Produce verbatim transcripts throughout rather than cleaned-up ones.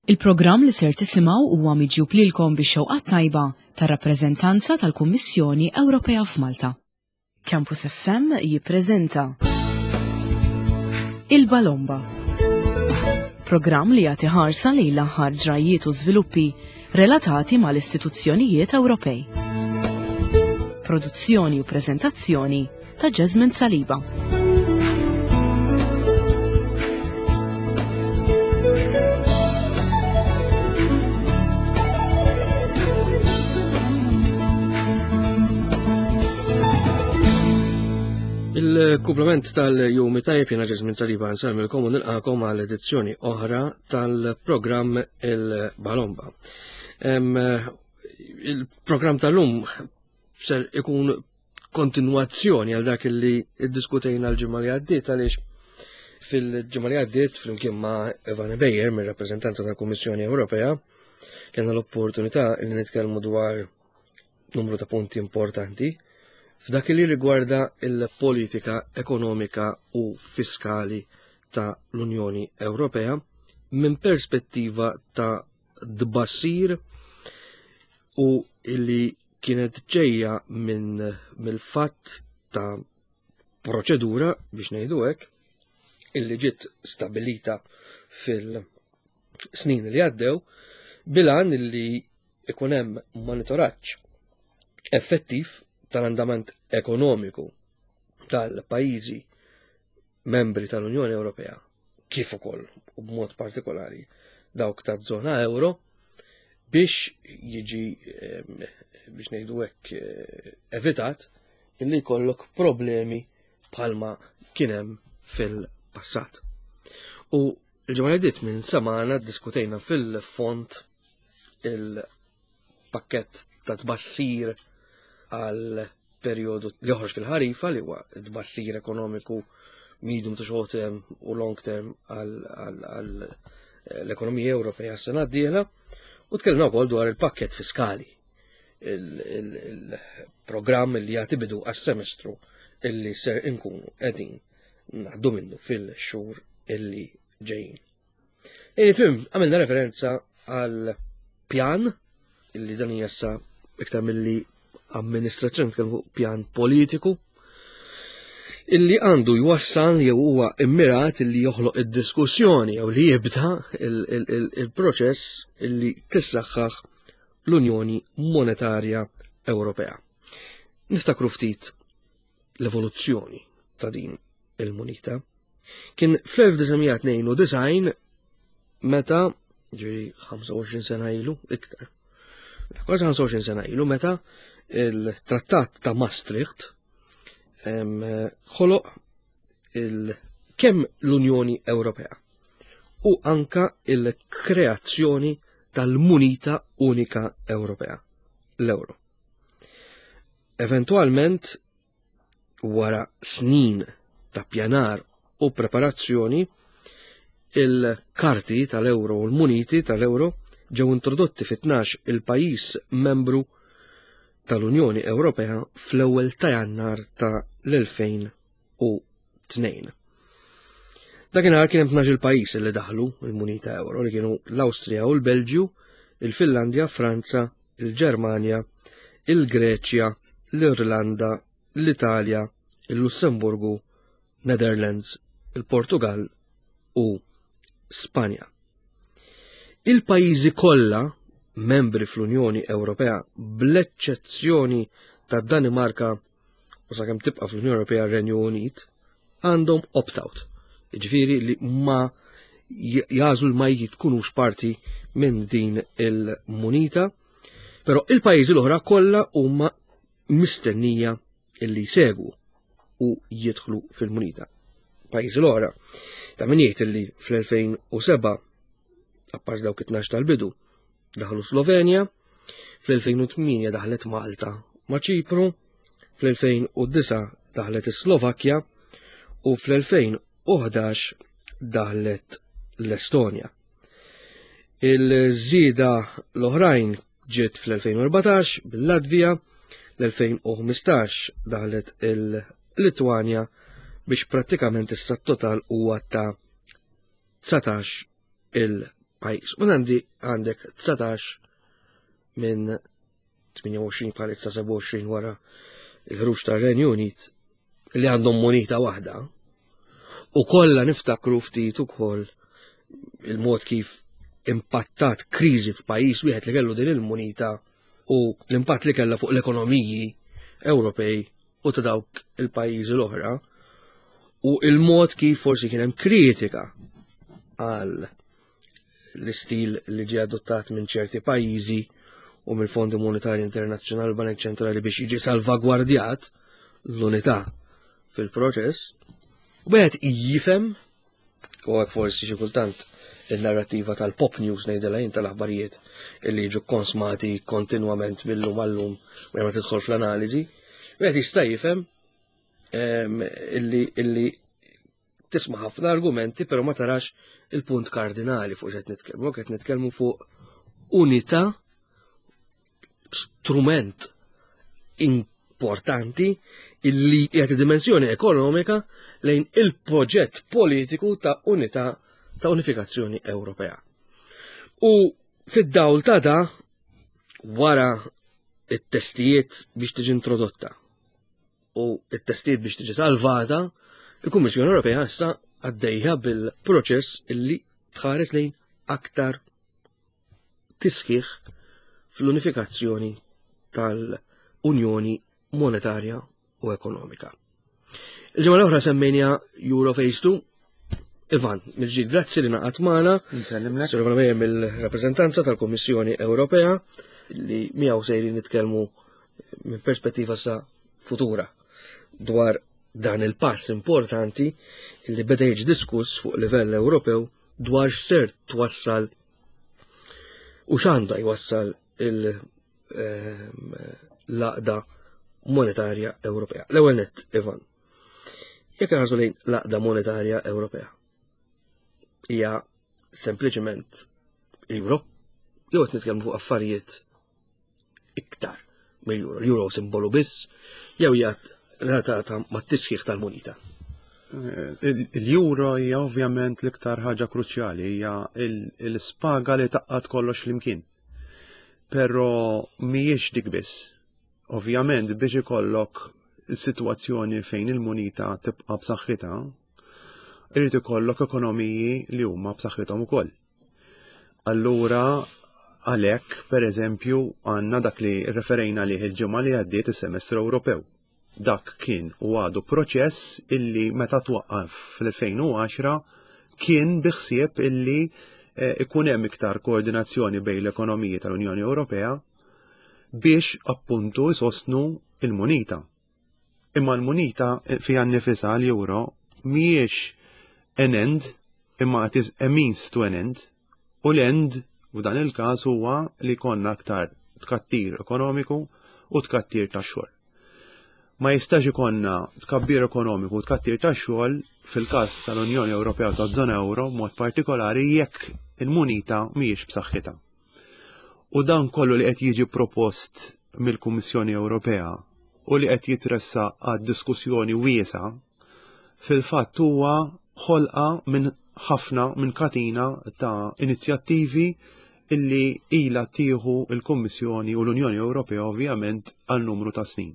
Il-programm li ser tisimgħu huwa miġjub lilkom bix-xewqa tajba tar-rappreżentanza tal-Kummissjoni Ewropea f'Malta. Campus F M jippreżenta Il-Balomba. Programm li jagħti ħarsa lejn l-aħħar ġrajiet u żviluppi relatati mal-istituzzjonijiet Ewropej. Produzzjoni u preżentazzjoni ta' Jasmine Saliba. Il-kumplament tal-jum tajjeb, jiena Jasmine Saliba nsellmilkom u nilqakom għal edizzjoni oħra tal-programm Il-Balomba. Il-programm tal-lum ser ikun kontinuazzjoni għal dak li iddiskutejna l-ġimgħa li għaddiet, għaliex fil-ġimgħa li għaddiet flimkien ma' Evan Beyer mir-rappreżentanza tal-Kummissjoni Ewropea kellna l-opportunità li nitkellmu dwar numru ta' punti importanti f'dak li rigwarda il-politika ekonomika u fiskali ta' l-Unjoni Ewropea minn perspettiva ta' tbassir u illi kienet ġejja minn mill-fatt ta' proċedura, biex ngħidu hekk, illi ġiet stabilita fil-snin li għaddew bil-għan illi ikun hemm monitoraġġ effettiv tal-andament ekonomiku tal-pajjiżi membri tal-Unjoni Ewropea, kif ukoll u b'mod partikolari dawk taż-żona euro, biex jiġi, ehm, biex ngħidu hekk, eh, evitat illi jkollok problemi bħalma kien hemm fil-passat. U l-ġimgħa li għaddiet minn semana diskutejna fil-fond il-pakkett ta' tbassir għal periodu li joħroġ fil-ħarifa, li huwa tbassir ekonomiku medium to short term u long term għal l-ekonomija Ewropea s-sena d-dieħla, u tkellimna wkoll dwar il-pakkett fiskali, il-programm li jagħti bidu għas-semestru illi ser inkunu qegħdin ngħaddu minnu fil-xhur illi ġejjin. Lejn it-tmiem għamilna referenza għal pjan illi dan jessa iktar milli amministrazzjoni, nitkellmu fuq pjan politiku illi għandu jwassal jew huwa immirat illi joħloq id-diskussjoni jew li jibda il-proċess illi tissaħħaħ l-Unjoni Monetarja Ewropea. Niftakru ftit l-evoluzzjoni ta' din il-munita. Kien fl-elf disa' tnejn u disgħin meta, ġifieri ħamsa u għoxrin sena ilu, iktar, kważi ħamsa u għoxrin sena ilu, meta il-Trattat ta' Maastricht, em, ħoloq il-, kemm l-Unjoni Ewropea u anka il-kreazzjoni tal-munita unika Ewropea, l-euro. Eventualment, wara snin ta' pjanar u preparazzjoni, il-karti tal-euro u l-muniti tal-euro ġew introdotti fi tnax il-pajjiż membru tal-Unjoni Ewropea fl-ewwel ta' Jannar ta' l-elfejn u tnejn. Dakinhar kien hemm tnax il-pajjiż li daħlu il-munita euro, li kienu l-Awstrija u l-Belġju, il-Finlandja, Franza, il-Ġermanja, il-Greċja, l-Irlanda, l-Italja, il-Lussemburgu, Netherlands, il-Portugal u Spanja. Il-pajjiżi kollha membri fl-Unjoni Ewropea, bl-eċċezzjoni ta' Danimarka u sakemm tibqa' fl-Unjoni Ewropea r-Renju Unit, għandhom opt-out. Jiġifieri li ma jażlu ma jitkunux parti minn din il-munita, però il-pajjiżi l-oħra kollha huma mistennija illi jsegwu u jidħlu fil-munita. Pajjiżi l-oħra, ta' min jgħid illi fl-elfejn u seba', apparti dawk it-tnax tal-bidu, daħlu Slovenja, fl-elfejn u tmienja daħlet Malta ma' Ċipru, fl-elfejn u disa' daħlet is-Slovakkja u fl-elfejn u ħdax daħlet l-Estonja. Il-żieda l-oħrajn ġiet fl-elfejn u erbatax bil-Latvija, l-elfejn u ħmistax daħlet il-Litwanja biex prattikament issa t-total huwa ta' dsatax il-pajjiż. pajjiż. U għandi għandek dsatax minn tmienja u għoxrin bħalissa sebgħa u għoxrin wara il-ħruġ tar-Renju Unit li għandhom munita waħda. U kollha niftakru ftit ukoll il-mod kif impattat kriżi f'pajjiż wieħed li kellu din il-munita u l-impatt li kellha fuq l-ekonomiji Ewropej u ta' dawk il-pajjiżi l-oħra, u il-mod kif forsi kien hemm kritika għal l-istil li ġie adottat minn ċerti pajjiżi u mill-Fondi Monetarji Internazzjonali u Banek Ċentrali biex jiġi salvagwardjat l-unità fil-proċess. U wieħed jifhem, u hekk forsi xi kultant il-narrativa tal-pop news ngħidilha jien, tal-aħbarijiet illi jiġu konsmati kontinwament mill-lum għallum u ma tidħol fl-analiżi, wieħed jista' jifhem em, illi, illi tisma' ħafna argumenti però ma tarax il-punt kardinali fuq x'qed nitkellmu. Qed nitkellmu fuq unità, strument importanti illi jagħti dimensjoni ekonomika lejn il-proġett politiku ta' unità, ta' unifikazzjoni Ewropea. U fid-dawl ta' da, wara it-testijiet biex tiġi introdotta u it-testijiet biex tiġi salvata, il-Kummissjoni Ewropea issa għaddejja bil-proċess illi tħares lejn aktar tisħiħ fl-unifikazzjoni tal-Unjoni Monetarja u Ekonomika. Il-ġimgħa l-oħra semmejna Euro Phase two. Ivan, mill-ġdid grazzi li ngħaqadt magħna. Nsellimlek. Sur Ivan Mejjem mill-rappreżentanza tal-Kummissjoni Ewropea li miegħu sejrin nitkellmu minn perspettiva sa futura dwar dan il-pass importanti li beda jiġi diskuss fuq livell Ewropew dwar x'ser twassal u x'għandha jwassal il-, ehm, l-għaqda monetarja Ewropea. L-ewwel nett, Ivan, jekk ħarsu lejn l-għaqda monetarja Ewropea, hija sempliċement euro, jew qed nitkellmu fuq affarijiet iktar mill-euro? L-euro simbolu biss, jew hija relatata mat-tisħiħ tal-munita? Il-euro hija ovvjament l-iktar ħaġa kruċjali, hija l-spaga li tgħaqqad kollox flimkien. Però mhijiex dik biss. Ovvjament biex ikollok sitwazzjoni fejn il-munita tibqa' b'saħħitha, irid ikollok ekonomiji li huma b'saħħithom ukoll. Allura għalhekk, pereżempju, għandna dak li referejna lih il-ġimgħa li għaddiet, is-semestru Ewropew. Dak kien u għadu proċess illi meta twaqqaf fl-elfejn u għaxra kien biħsieb illi, eh, ikun hemm iktar koordinazzjoni bejn l-ekonomiji tal-Unjoni Ewropea biex appuntu jsostnu il-munita. Imma l-munita fiha nnifisha, l-euro, mhijiex an end, imma it is a means to an end. U l-end f'dan il-każ huwa li konna aktar tkattir ekonomiku u tkattir ta' xogħol. Ma jistax ikonna tkabbir ekonomiku u tkattir ta' xogħol fil-każ tal-Unjoni Ewropea u taż-żona euro mod partikolari jekk il-munita mhijiex b'saħħitha. U dan kollu li qed jiġi propost mill-Kummissjoni Ewropea u li qed jitressa għad diskussjoni wiesa, fil-fatt huwa ħolqa minn ħafna, minn katina ta' inizjattivi illi ila tieħu il-Kummissjoni u l-Unjoni Ewropea ovvjament għal numru ta' snin.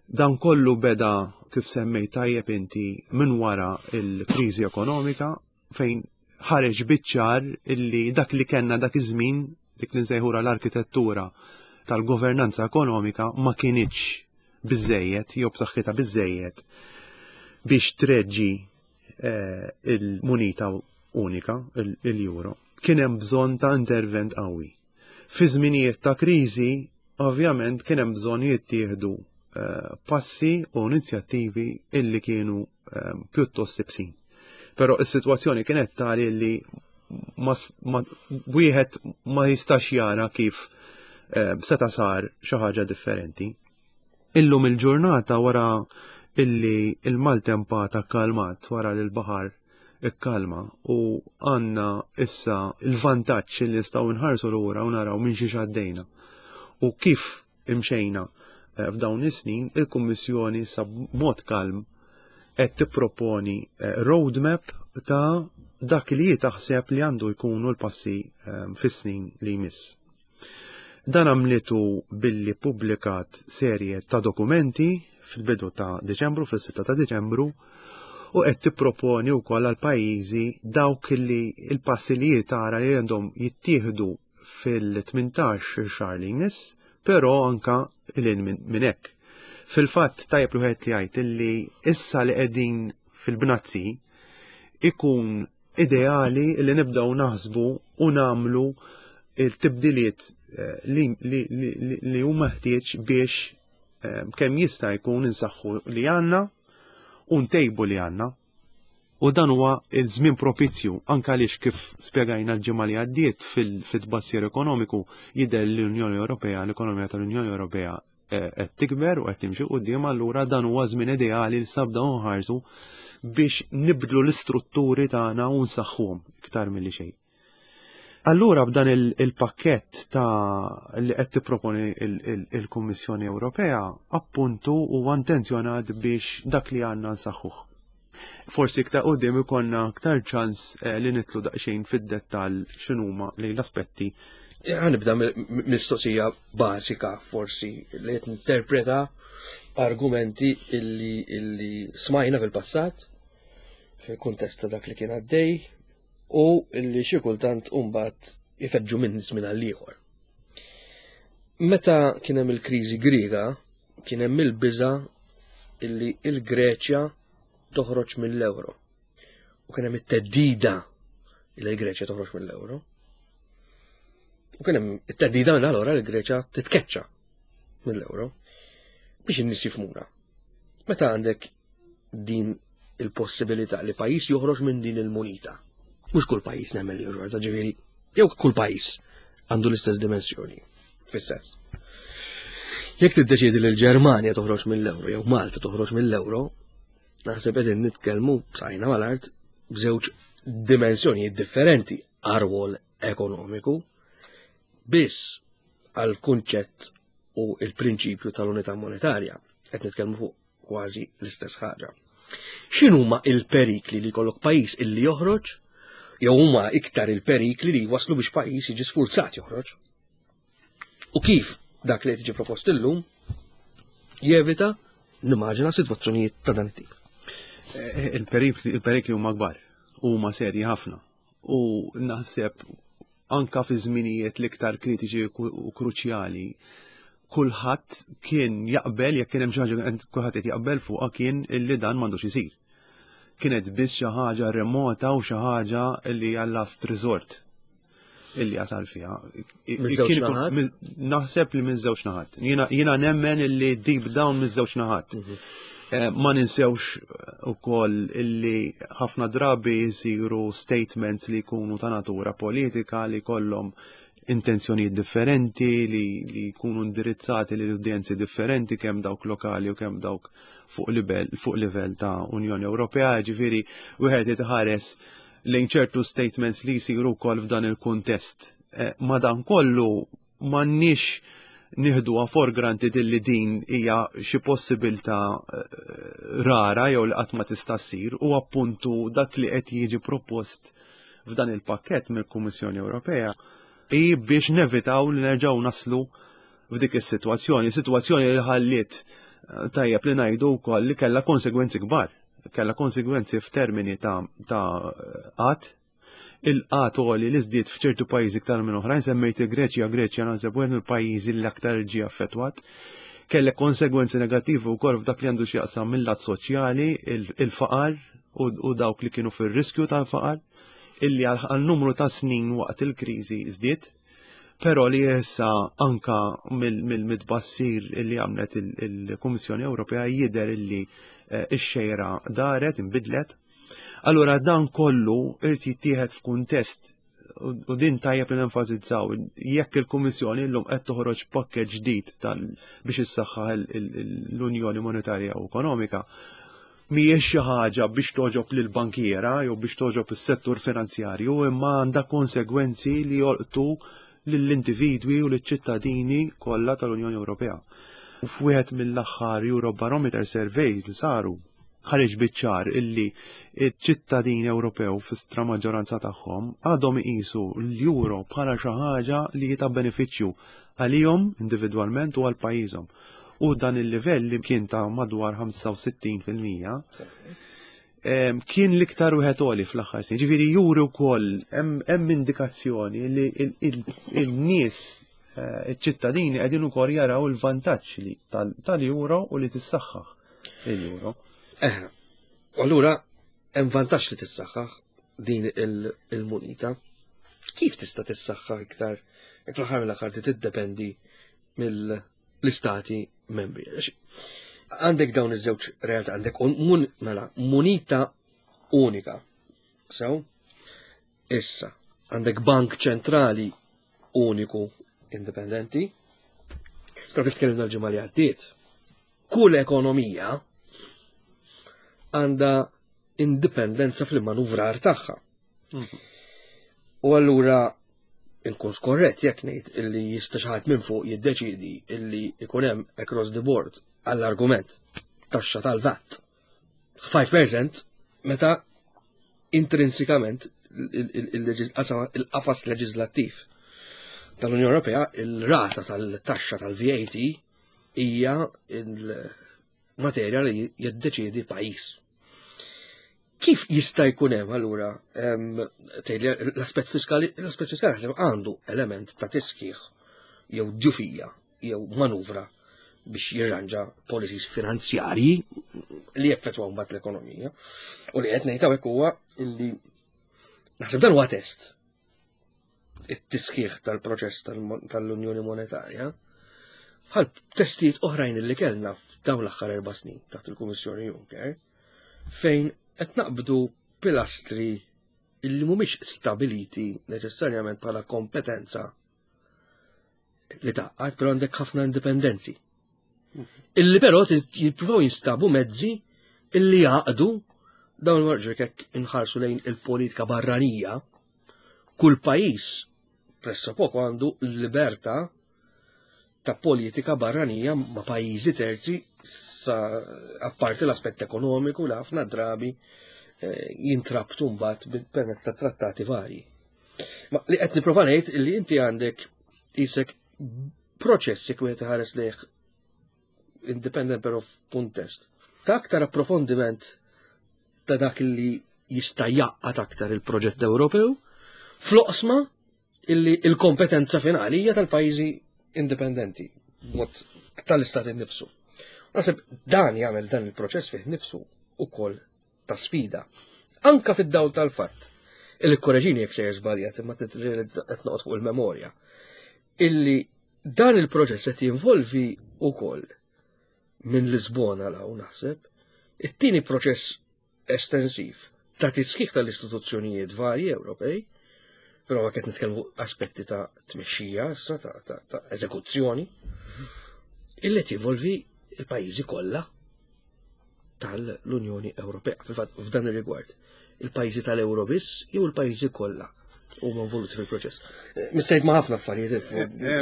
Dan kollu beda, kif semmejt tajjeb inti, minn wara il-kriżi ekonomika fejn ħareġ biċ-ċar illi dak li kellna dak iż-żmien, dik li nsejħura l-arkitettura tal-governanza ekonomika, ma kinitx biżejjed jew b'saħħitha biżejjed biex treġġi, eh, il-munita unika, il-, il-euro. Kien hemm bżonn ta' intervent qawwi. Fi żminijiet ta' kriżi, ovvjament kien hemm bżonn jittieħdu, eh, passi u inizjattivi illi kienu, eh, pjuttost ibsin. Però is-sitwazzjoni kienet tali li ma s-, ma, wieħed ma jistax jara kif, eh, seta' sar xi ħaġa differenti. Illum il-ġurnata, wara illi il-maltempata kalmat, wara li l-baħar ikkalma u għandna issa il-vantaġġ li nistgħu nħarsu lura u naraw minn xiex għaddejna u kif imxejna, eh, f'dawn is-snin, il-Kummissjoni issa b'mod kalm qed tipproponi, eh, roadmap ta' dak li taħseb li għandu jkunu l-passi ehm, fis-snin li jmiss. Dan għamlitu billi publikat serje ta' dokumenti fil-bidu ta' Deċembru, fis-sitta ta' Deċembru, u qed tipproponi wkoll għal pajjiżi dawk li il-passi li tara li għandhom jittieħdu fil-tmintax xahar li jmiss, però anka lil minn hekk. Fil-fatt tajjeb li wieħed jgħid illi issa li qegħdin fil-bnazzi ikun ideali li nibdew naħsbu u nagħmlu il-tibdiliet eh, li, li, li, li huma ħtieġ biex eh, kemm jista' jkun insaħħu li għandna u ntejbu li għandna. U dan huwa il-żmien propizju anke għaliex kif spjegajna l-ġimgħa li għaddiet fil-tbassir ekonomiku jidher l-Unjoni Ewropea, l-ekonomija tal-Unjoni Ewropea eh, qed tikber u qed timxi quddiem, allura dan huwa żmien ideali li sabda nħarsu biex nibdlu l-istrutturi tagħna u nsaħħuhom iktar milli xejn. Allura b'dan il-pakkett ta' li qed tipproponi il-Kummissjoni Ewropea appuntu huwa intenzjonat biex dak li għandna nsaħħuh. Forsi iktar quddiem ikollna aktar ċans eh, li nidħlu daqsxejn fid-dettall x'inhuma li l-aspetti. Ħa nibda mistoqsija bażika, forsi li qed interpreta argumenti illi, illi smajna fil-passat fil-kuntest ta' dak li kien għaddej u illi xi kultant imbagħad ifeġġu minn żmien għal ieħor. Meta kien hemm il-kriżi Griega, kien hemm il-biża illi il-Greċja toħroġ mill-euro. U kien hemm it-theddida illi l-Greċja toħroġ mill-euro. U kien hemm it-theddida minn allura li l-Greċja titkeċċa mill-euro biex in-nies jifhmuna. Meta għandek din il-possibilità li pajjiż joħroġ minn din il-munita, mhux kull pajjiż nemmen li joħroġ, ġifieri, jew kull pajjiż għandu l-istess dimensjoni, fis-sens. Jekk tiddeċiedi li l-Ġermanja toħroġ mill-euro jew Malta toħroġ mill-euro, naħseb qegħdin nitkellmu b'saqajna mal-art b'żewġ dimensjonijiet differenti għar-rwol ekonomiku, biss għal kunċett u il-prinċipju tal-unità monetarja qed nitkellmu fuq kważi l-istess ħaġa. X'inhuma il-perikli li jkollok pajjiż illi joħroġ jew huma iktar il-perikli li waslu biex pajjiż jiġi sfurzat joħroġ? U kif dak li tiġi propost illum jevita, nimmaġina, sitwazzjonijiet ta' dan it-tip? Eh, il-perikli huma kbar, huma serji ħafna. U naħseb anka fi żminijiet l-iktar kritiċi u kruċjali kulħadd kien jaqbel, jekk kien hemm xi ħaġa kulħadd qed jaqbel fuqha, kien illi dan m'għandux isir. Kienet biss xi ħaġa remota u xi ħaġa li għal last resort illi jasal fiha. Naħseb li minn żewġ naħat. Jiena nemmen illi deep down minn żewġ naħat. Mhm. Eh, ma ninsewx ukoll illi ħafna drabi jisiru statements li jkunu ta' natura politika, li kollhom intenzjonijiet differenti, li, li jkunu indirizzati lil udjenzi differenti, kemm dawk lokali u kemm dawk fuq livell fuq livell ta' Unjoni Ewropea, ġifieri wieħed jitħares lejn ċertu statements li jsiru wkoll f'dan il-kuntest. Eh, ma dan kollu m'għandniex nieħduha for granted illi din hija xi possibilità eh, rara jew li qatt ma tista' ssir, u appuntu dak li qed jiġi propost f'dan il-pakkett mill-Kummissjoni Ewropea i biex nevitaw li nerġgħu naslu f'dik is-sitwazzjoni, sitwazzjoni li ħalliet, eh, tajjeb li ngħidu wkoll li kellha konsegwenzi kbar, kellha konsegwenzi f'termini ta' ta' qgħad, il-qgħad għoli li żdied f'ċertu pajjiżi iktar minn oħrajn, semmejt il-Greċja, Greċja naħseb wieħed mill-pajjiżi li aktar ġie affettwat. Kellek konsegwenzi negattivi wkoll f'dak li għandu x'jaqsam mill-lat soċjali, il-faqar u dawk li kienu fir-riskju tal-faqar, illi għal numru ta' snin waqt il-kriżi żdied, però li issa anka mill-tbassir illi għamlet il-Kummissjoni Ewropea jidher illi eh, ix-xejra daret, inbidlet. Allura dan kollu irid jittieħed f'kuntest, u din tajjeb li nenfasizzaw, jekk il-Kummissjoni llum qed toħroġ pakkett ġdid tal biex issaħħaħ l-Unjoni Monetarja u Ekonomika, mhijiex xi ħaġa biex toġob lil bankiera jew biex toġob is-settur finanzjarju, imma għandha konsegwenzi li jolqtu lill-individwi u lill-ċittadini kollha tal-Unjoni Ewropea. U f'wieħed mill-aħħar Eurobarometer survey li saru, Ħareġ biċ-ċar illi ċ-ċittadini Ewropew fi maġġoranza tagħhom għadhom iqisu l-euro bħala xi ħaġa li ta' benefiċċju għalihom individwalment u għal pajjiżhom. U dan il-livell li kien ta' madwar ħamsa u sittin fil-mija kien l-iktar wieħed għoli fl-aħħar snin. Ġifieri juri wkoll hemm indikazzjoni li il-nies, eh, iċ-ċittadini qegħdin ukoll jaraw il-vantaġġ li tal-euro u li tissaħħaħ il-euro. Eh, allura hemm vantaġġ li tissaħħaħ din il-munita. Kif tista' tissaħħaħ iktar jekk fl-aħħar mill-aħħar tiddependi mill-istati membri? Għandek dawn iż-żewġ realtà, għandek mun, mela, munita unika. So, issa, għandek bank ċentrali uniku indipendenti. Però kif tkellimna l-ġimgħa li għaddiet, kull ekonomija għandha indipendenza fil-manuvrar tagħha. Mhm. U allura inkun skorrett jekk ngħid illi jista' xi ħadd minn fuq jiddeċidi illi ikun hemm across the board, għall-argument, taxxa tal-VAT ħamsa fil-mija, meta intrinsikament il-qafas leġislattiv tal-Unjoni Ewropea, il-rata tal-taxxa tal-V A T hija il-materja li jiddeċiedi pajjiż. Kif jista' jkun hemm allura l-aspett fiskali? L-aspett fiskali ħaseb għandu element ta' tisħiħ jew djufija jew manuvra biex jirranġa policies finanzjarji li jeffettwaw mbagħad l-ekonomija. U li qed ngħid hawnhekk huwa illi naħseb dan huwa test, it-tisħiħ tal-proċess tal-Unjoni Monetarja, bħal testijiet oħrajn li kellna f'dawn l-aħħar erba' snin taħt il-Kummissjoni Juncker, fejn qed naqbdu pilastri illi mhumiex stabiliti neċessarjament bħala kompetenza li taqgħad, però għandek ħafna indipendenzi. Illi però jippruvaw jinstabu mezzi illi jaqdu dawn il-marġer. Jekk inħarsu lejn il-politika barranija, kull pajjiż pressappoco għandu l-libertà ta' politika barranija ma' pajjiżi terzi, sa apparti l-aspett ekonomiku li ħafna drabi eh, jintrabtu mbagħad permezz ta' trattati varji. Ma li qed nipprova ngħid illi inti għandek isek proċessi kwiet ħares lejh independent però f'kuntest ta' aktar approfondiment ta' dak li jista' jaqgħad aktar il-proġett Ewropew fl-oqsma illi il-kompetenza finali hija tal-pajjiżi indipendenti, mod tal-istat innifsu. Naħseb dan jagħmel dan il-proċess fih nifsu ukoll ta' sfida. Anka fid-dawl tal-fatt illi, korreġini jekk sejjer żbaljat, imma qed noqgħod fuq il-memorja, illi dan il-proċess qed jinvolvi ukoll minn Lisbona 'l hawn, naħseb, it-tieni proċess estensiv ta' tisħiħ tal-istituzzjonijiet varji Ewropej, però ma qed nitkellmu aspetti ta' tmexxija issa ta', ta, ta eżekuzzjoni, illi tinvolvi il-pajjiżi kollha tal-Unjoni Ewropea. Fil-fatt, f'dan ir-rigward, il-pajjiżi tal-Euro biss jew il-pajjiżi kollha huma involuti fil-proċess? Missejt ma' ħafna affarijiet,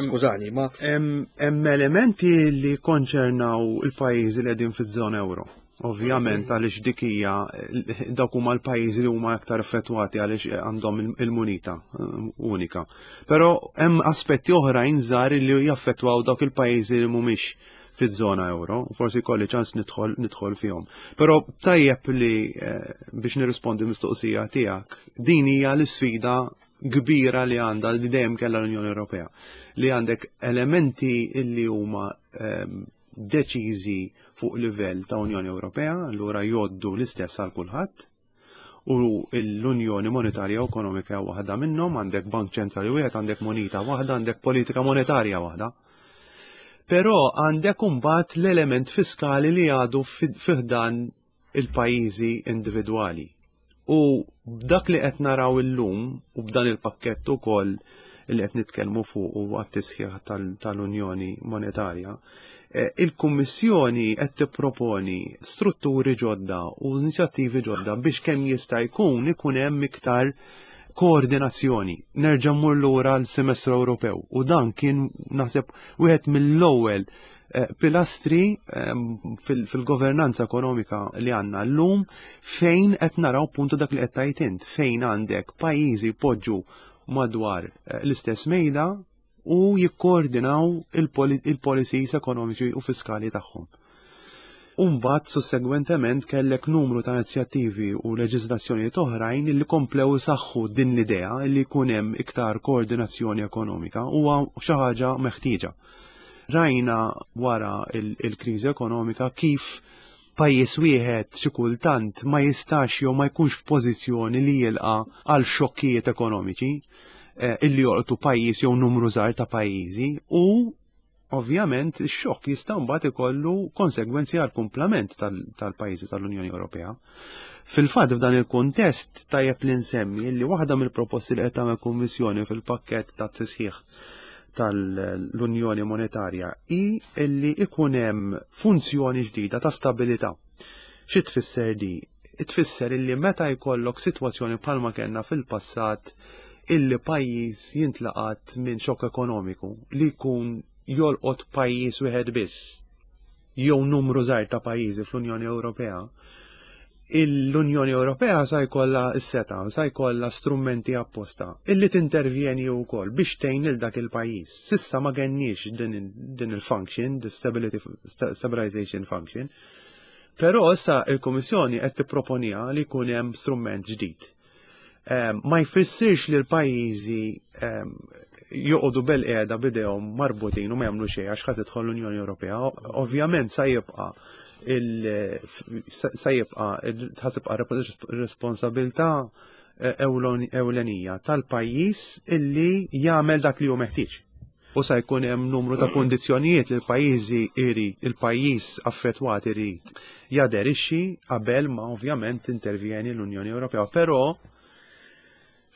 skużani, ma Hemm elementi li konċernaw il-pajjiżi li qegħdin fiż-żona euro. Ovvjament, għaliex dik hija, dawk huma l-pajjiżi li huma aktar effettwati għaliex għandhom il-munita eh, unika. Però hemm aspetti oħrajn żgħar li jaffettwaw dawk il-pajjiżi li mhumiex fiż-żona euro, forsi kolli ċans nidħol nidħol fihom. Però tajjeb li eh, biex nirrispondi mistoqsija tiegħek, din hija l-isfida kbira li għandha, li dejjem kellha l-Unjoni Ewropea, li għandek elementi illi huma ehm, deċiżi fuq livell ta' Unjoni Ewropea, allura jgħoddu l-istess għal kulħadd, u l-Unjoni Monetarja u Ekonomika waħda minnhom. Għandek bank ċentrali wieħed, għandek moneta waħda, għandek politika monetarja waħda. Però għandek imbagħad l-element fiskali li għadu fi ħdan il-pajjiżi individwali. U b'dak li qed naraw illum u b'dan il-pakkett ukoll li qed nitkellmu fuq u għat-tisħiħ tal-Unjoni Monetarja, eh, il-Kummissjoni qed tipproponi strutturi ġodda u inizjattivi ġodda biex kemm jista' jkun ikun hemm iktar koordinazzjoni. Nerġa' mmur lura l-semestru Ewropew u dan kien, naħseb, wieħed mill-ewwel eh, pilastri ehm, fil-governanza ekonomika li għandna llum, fejn qed naraw puntu dak li qed tgħid int, fejn għandek pajjiżi poġġu madwar eh, l-istess mejda u jikkoordinaw il-policies ekonomiċi u fiskali tagħhom. Umbat, sussegwentement, kellek numru ta' inizjattivi u leġislazzjonijiet oħrajn li komplew saħħu din l-idea li jkun hemm iktar koordinazzjoni ekonomika huwa xi ħaġa meħtieġa. Rajna wara il-kriżi ekonomika kif pajjiż wieħed xi kultant ma jistax jew ma jkunx f'pożizzjoni li jilqa' għal xokkijiet ekonomiċi eh, illi jolqtu pajjiż jew numru żgħar ta' pajjiżi, u ovvjament ix-xokk jista' mbagħad ikollu konsegwenzi għal kumplament tal-pajjiżi tal-Unjoni Ewropea. Fil-fatt, f'dan il-kuntest tajjeb li nsemmi li waħda mill-proposti li qed tagħmel Kummissjoni fil-pakkett ta' tisħiħ tal-Unjoni Monetarja hi illi ikun hemm funzjoni ġdida ta' stabilità. Xi tfisser di? Tfisser illi meta jkollok sitwazzjoni bħalma kellna fil-passat, illi pajjiż jintlaqat minn xokk ekonomiku li jkun jolqot pajjiż wieħed biss jew numru żgħar ta' pajjiżi fl-Unjoni Ewropea, l-Unjoni Ewropea sa jkollha s-setgħa, sa jkollha strumenti apposta illi tintervjeni wkoll biex tgħin lil dak il-pajjiż. S'issa ma kenniex din, din il-function, the stability stabilization function. Però issa il-Kummissjoni qed tipproponiha li jkun hemm strument ġdid. Ma jfissirx li l-pajjiżi joqogħdu bil-qiegħda b'idejhom marbutin u ma jagħmlu xejn għax ħadd tidħol l-Unjoni Ewropea. Ovvjament sa jibqa' sa jibqa' tibqa' responsabilità eh, ewlenija tal-pajjiż illi jagħmel dak li hu meħtieġ. U sa jkun hemm numru ta' kondizzjonijiet li l-pajjiżi irid il-pajjiż affettwat irid jaderixxi qabel ma ovvjament intervjeni l-Unjoni Ewropea. Però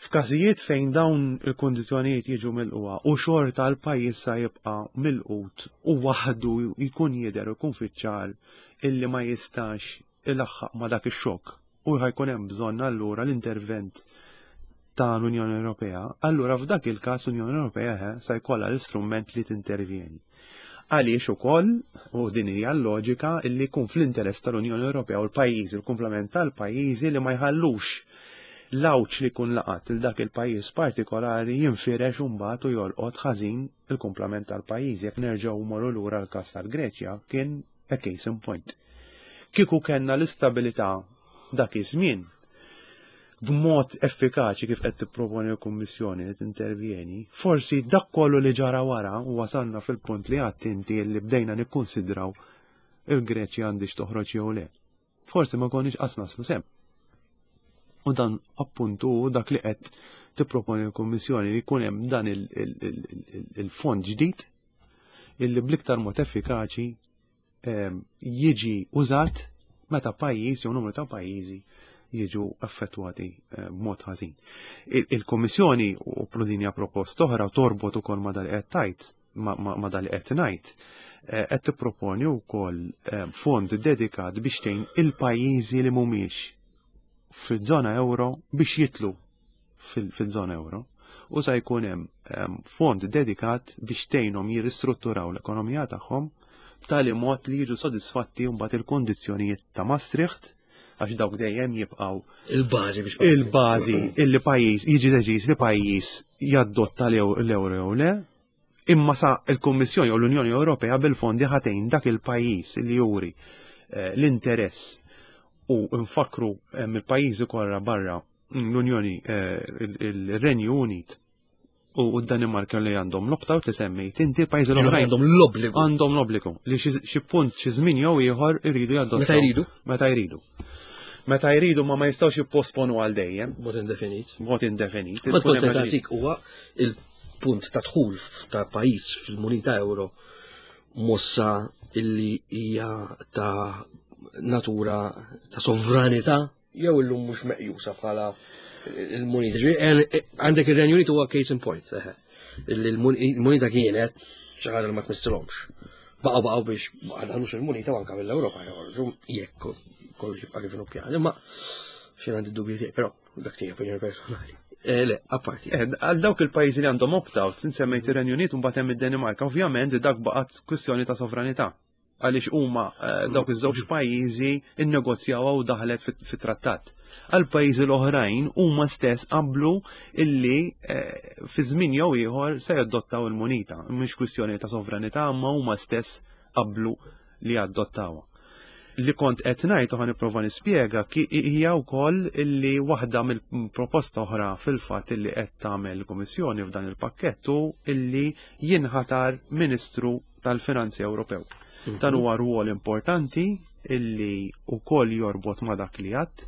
f'każijiet fejn dawn il-kondizzjonijiet jiġu milqugħa u xorta l-pajjiż sa jibqa' milqut u waħdu jkun jidher u jkun fiċ-ċar illi ma jistax ilaħħaq ma dak ix-xokk u ħa jkun hemm bżonn allura l-intervent ta' l-Unjoni Ewropea, allura f'dak il-każ l-Unjoni Ewropea eh, sa jkollha l-istrument li tintervjeni. Għaliex ukoll, u din hija l-loġika, illi jkun fl-interess tal-Unjoni Ewropea u l-pajjiżi, il-kumplament tal-pajjiżi, li ma jħallux l-għawġ li jkun laqat il dak il-pajjiż partikolari jinfirex mbagħad u jolqot ħażin il-kumplament tal-pajjiż. Jekk nerġgħu morru lura l-każ tal-Greċja, kien a case in point. Kieku kellna l-istabilità dak iż-żmien b'mod effikaċi kif qed tipproponi l-Kummissjoni li tintervjeni, forsi dak kollu li ġara wara u wasalna fil-punt li għedt inti li bdejna nikkonsidraw il-Greċja għandix toħroġ jew le. Forsi ma konniex qas naslu s'hemm. U dan appuntu dak li qed tipproponi l-Kummissjoni, li jkun hemm dan il-fond ġdid illi bl-iktar mod effikaċi ehm, jiġi użat meta pajjiż jew numru ta' pajjiżi jiġu affettwati eh, b'mod ħażin. Il-Kummissjoni, u din hija proposta oħra u torbot ukoll ma dal qed tajt ma dal qed ngħid, eh, qed tipproponi wkoll eh, fond dedikat biex tgħin il-pajjiżi li mhumiex fil-żona euro biex jidħlu fil-żona euro, u sa jkun hemm fond dedikat biex tgħinhom jirristrutturaw l-ekonomija tagħhom b'tali mod li jiġu sodisfatti mbagħad il-kondizzjonijiet ta' Maastricht, għax dawk dejjem jibqgħu il-bażi biex il-bażi illi pajjiż jiġi deċiż li pajjiż jadotta l-euro jew le, imma sa il-Kummissjoni u l-Unjoni Ewropea bil-fondi ħa tgħin dak il-pajjiż li juri eh, l-interess, u nfakru eh, mill-pajjiżi kollha barra l-Unjoni, eh, il-Renju Unit u d-Danimarka li għandhom l-opt-out li semmejt inti, pajjiżi l-oħrajn għandhom l-obbligu. Għandhom l-obbligu li xi punt, xi żmien jew ieħor, iridu jadottaw. Meta jridu? Meta jridu. Meta jridu, ma ma jistgħux jipposponu għal dejjem. Mod indefinit. Mod indefinit. Ma tkun sensasik huwa il-punt ta' dħul ta' pajjiż fil-munita euro mossa illi hija ta' natura ta' sovranità jew illum mhux meqjusa bħala il-munita? Għandek ir-Renju Unit huwa case in point. Il-munita kienet xi ħaġa li ma tmissilhomx. Baqgħu baqgħu biex ma daħlux il-munita u anke mill-Ewropa joħorġu jekk kollox jibqa' kif inhu pjan. Imma xejn għandi dubji tiegħi, però dak tiegħi opinjoni personali. Eh, le, apparti. Eh, għal dawk il-pajjiżi li għandhom opt-out, insemmejt ir-Renju Unit u mbagħad hemm id-Danimarka, ovvjament dak baqgħet kwistjoni ta' sovranità. Għaliex huma eh, dawk iż-żewġ pajjiżi innegozjaw u daħlet fit-trattat. Għal pajjiżi l-oħrajn huma stess qablu illi fi żmien jew ieħor se jadottaw il-munita. Mhux kwistjoni ta' sovranità, imma huma stess qablu li adottawha. Li kont qed ngħid u ħa nipprova nispjega hija wkoll illi waħda mill-proposta oħra fil-fatt illi qed tagħmel il-Kummissjoni f'dan il-pakkett hu illi jinħatar Ministru tal-Finanzi Ewropew. Mhm. Dan huwa rwol importanti illi wkoll jorbot ma' dak li għadd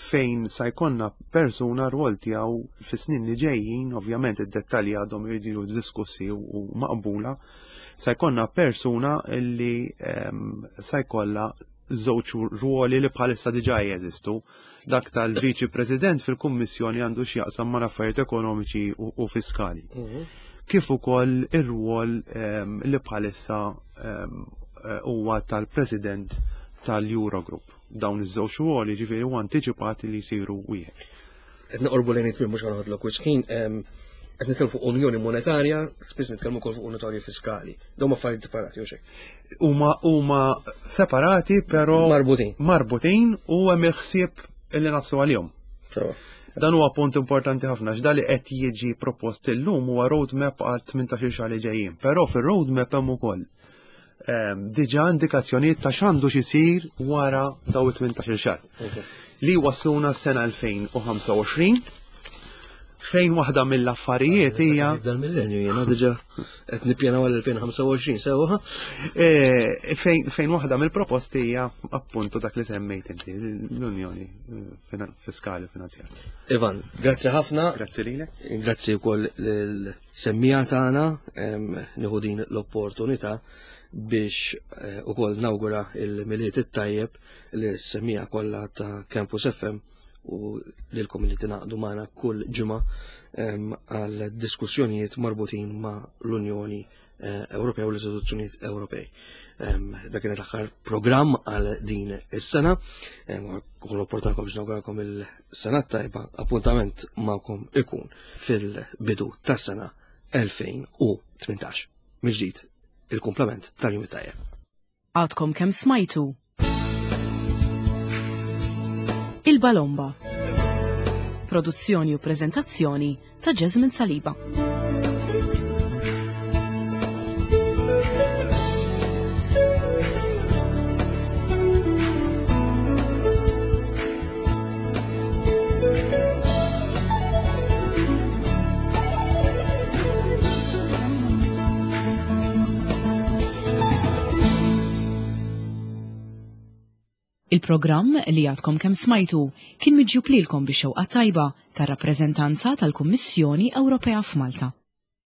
fejn sa jkollna persuna rwol tiegħu fis-snin li ġejjin, ovvjament id-dettalji għadhom jridu diskussi u maqbula, sa jkollna persuna illi um, sa jkollha żewġ ruoli li bħalissa diġà jeżistu. Dak tal-Viċi President fil-Kummissjoni għandu x'jaqsam ma' affarijiet ekonomiċi u, u fiskali. Mm -hmm. Kif ukoll ir-rwol um, li bħalissa um, huwa tal-President tal-Eurogroup. Dawn iż-żewġ ruoli ġifieri huwa antiċipati li jsiru wieħed. Qed noqorbu lejn it-tmiem mhux ħanoħodlok wisq ħin, qed nitkellmu fuq unjoni monetarja, spiss nitkellmu wkoll fuq unjoni fiskali. Dawn affarijiet separati u xejn. Huma huma separati però marbutin. Marbutin u hemm il-ħsieb illi naslu għalihom. Dan huwa punt importanti ħafna x'da li qed jiġi propost illum huwa roadmap għal tmintax-il xahar li ġejjin. Però fir-roadmap hemm ukoll ehm, diġà indikazzjonijiet ta' x'għandu x'isir wara daw it-tmintax-il xahar. Li wasluna s-sena elfejn u ħamsa u għoxrin fejn waħda mill-affarijiet hija Dal-millenju jiena diġà qed nippjanaw għal elfejn u ħamsa u għoxrin sewwa. Eh, fejn, fejn waħda mill-proposti hija appuntu dak li semmejt inti, l-Unjoni Fiskali u Finanzjarja. Ivan, grazzi ħafna. Grazzi lilek. Grazzi wkoll lill-semmija tagħna, em, nieħu din l-opportunità biex, eh, ukoll nawgura il-Milied it-tajjeb lis-semmija kollha ta' Campus F M u lilkom li tingħaqdu magħna kull ġimgħa, em, għal diskussjonijiet marbutin ma' l-Unjoni, eh, Ewropea u l-istituzzjonijiet Ewropej. Em, dak kien l-aħħar programm għal din is-sena. Em, kull opportunità biex nawguralkom il-sena tajba, appuntament magħkom ikun fil-bidu tas-sena elfejn u tmintax. Mill-ġdid il-komplement tal-jum it-tajjeb. Għadkom kemm smajtu Il-Balomba. Produzzjoni u prezentazzjoni ta' Jasmine Saliba. Il-programm li għadkom kemm smajtu kien miġjub lilkom bix-xewqa tajba tar-rappreżentanza tal-Kummissjoni Ewropea f'Malta.